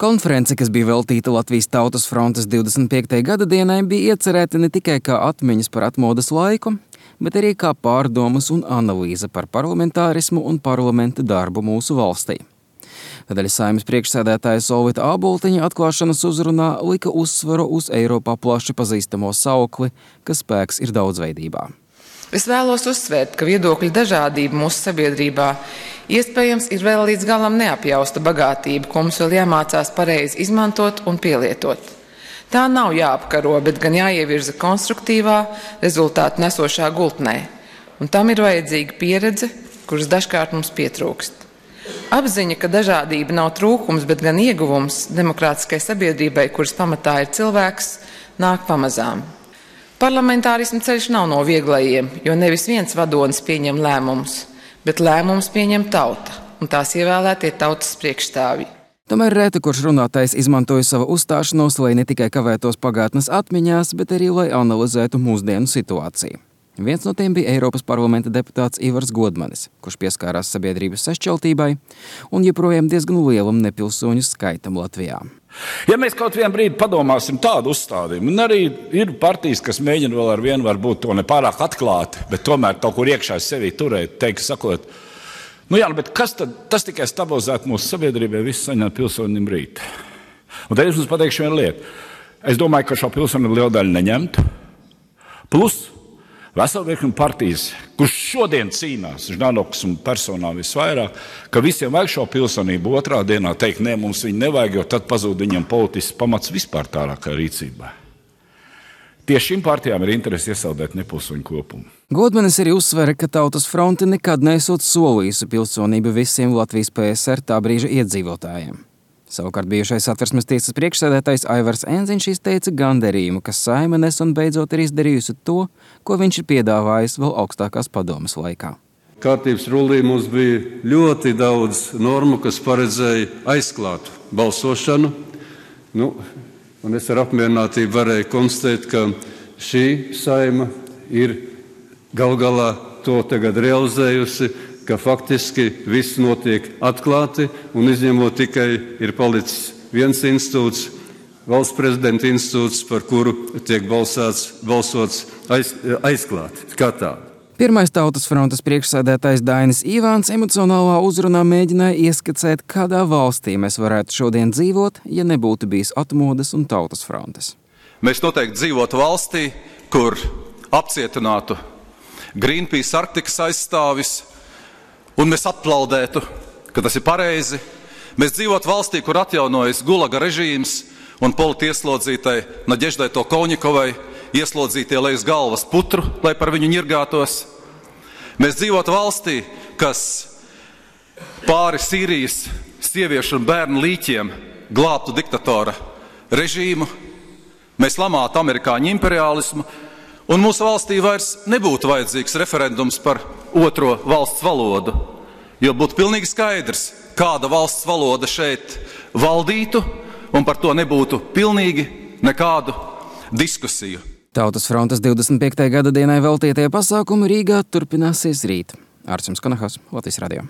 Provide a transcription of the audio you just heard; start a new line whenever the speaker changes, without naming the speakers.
Konference, kas bija veltīta Latvijas Tautas frontes 25. gada dienai, bija iecerēta ne tikai kā atmiņas par atmodas laiku, bet arī kā pārdomas un analīze par parlamentārismu un parlamenta darbu mūsu valstī. Tādēļ Saeimas priekšsēdētāja Solvita Āboltiņa atklāšanas uzrunā lika uzsvaru uz Eiropā plaši pazīstamo saukli, ka spēks ir daudzveidībā.
Es vēlos uzsvērt, ka viedokļu dažādība mūsu sabiedrībā iespējams ir vēl līdz galam neapjausta bagātība, ko mums vēl jāmācās pareizi izmantot un pielietot. Tā nav jāapkaro, bet gan jāievirza konstruktīvā, rezultātu nesošā gultnē. Un tam ir vajadzīga pieredze, kuras dažkārt mums pietrūkst. Apziņa, ka dažādība nav trūkums, bet gan ieguvums demokrātiskai sabiedrībai, kuras pamatā ir cilvēks, nāk pamazām. Parlamentārisma ceļš nav no vieglajiem, jo nevis viens vadonis pieņem lēmumus, bet lēmumus pieņem tauta, un tās ievēlētie tautas priekšstāvji.
Tomēr rēta, kurš runātājs izmantoja savu uzstāšanos, lai ne tikai kavētos pagātnes atmiņās, bet arī lai analizētu mūsdienu situāciju. Viens no tiem bija Eiropas parlamenta deputāts Ivars Godmanis, kurš pieskārās sabiedrības sašķeltībai un joprojām diezgan lielam nepilsoņu skaitam Latvijā.
Ja mēs kaut vienu brīdi padomāsim tādu uzstādījumu, un arī ir partijas, kas mēģina vēl ar vienu varbūt to nepārāk atklāti, bet tomēr kaut kur iekšā sevī turēt, teikt, sakot, bet kas tad, tas tikai stabilizētu mūsu sabiedrībai visu saņemt pilsonim rīt. Un tad es jums pateikšu vienu lietu. Es domāju, ka šo pilsoni liela daļa neņemtu. Plus, vesela virkne partijas, kurš šodien cīnās, Ždanoks un personā visvairāk, ka visiem vajag šo pilsonību otrā dienā teikt, nē, mums viņu nevajag, jo tad pazūd viņam politisks pamats vispār tālākai rīcībai. Tieši šīm partijām ir interesi iesaldēt nepilsoņu kopumu.
Godmanis arī uzsvera, ka Tautas fronte nekad neesot solījusi pilsonību visiem Latvijas PSR tā brīža iedzīvotājiem. Savukārt bijušais Satversmes tiesas priekšsēdētājs Aivars Enziņš izteica gandarījumu, ka Saeima nesen beidzot ir izdarījusi to, ko viņš ir piedāvājis vēl augstākās padomes laikā.
Kārtības rullī mums bija ļoti daudz normu, kas paredzēja aizklātu balsošanu. Un es ar apmierinātību varēju konstatēt, ka šī Saeima ir gal galā to tagad realizējusi, ka faktiski viss notiek atklāti un izņemot tikai ir palicis viens institūts, valsts prezidenta institūts, par kuru tiek balsots aizklāti kā tādu.
Pirmais Tautas frontes priekšsēdētājs Dainis Ivāns emocionālā uzrunā mēģināja ieskicēt, kādā valstī mēs varētu šodien dzīvot, ja nebūtu bijis atmodas un Tautas frontes.
Mēs noteikti dzīvotu valstī, kur apcietinātu Greenpeace Arktikas aizstāvis, un mēs aplaudētu, ka tas ir pareizi. Mēs dzīvotu valstī, kur atjaunojas Gulaga režīms un politieslodzītai Nadeždai Tolkovņikovai ieslodzītie lai uz galvas putru, lai par viņu ņirgātos. Mēs dzīvotu valstī, kas pāri Sīrijas sieviešu un bērnu līķiem glābtu diktatora režīmu. Mēs lamātu amerikāņu imperialismu, un mūsu valstī vairs nebūtu vajadzīgs referendums par otro valsts valodu, jo būtu pilnīgi skaidrs, kāda valsts valoda šeit valdītu, un par to nebūtu pilnīgi nekādu diskusiju.
Tautas frontes 25. gada dienai veltītie pasākumi Rīgā turpināsies rīt. Ārsim Skanahas, Latvijas radio.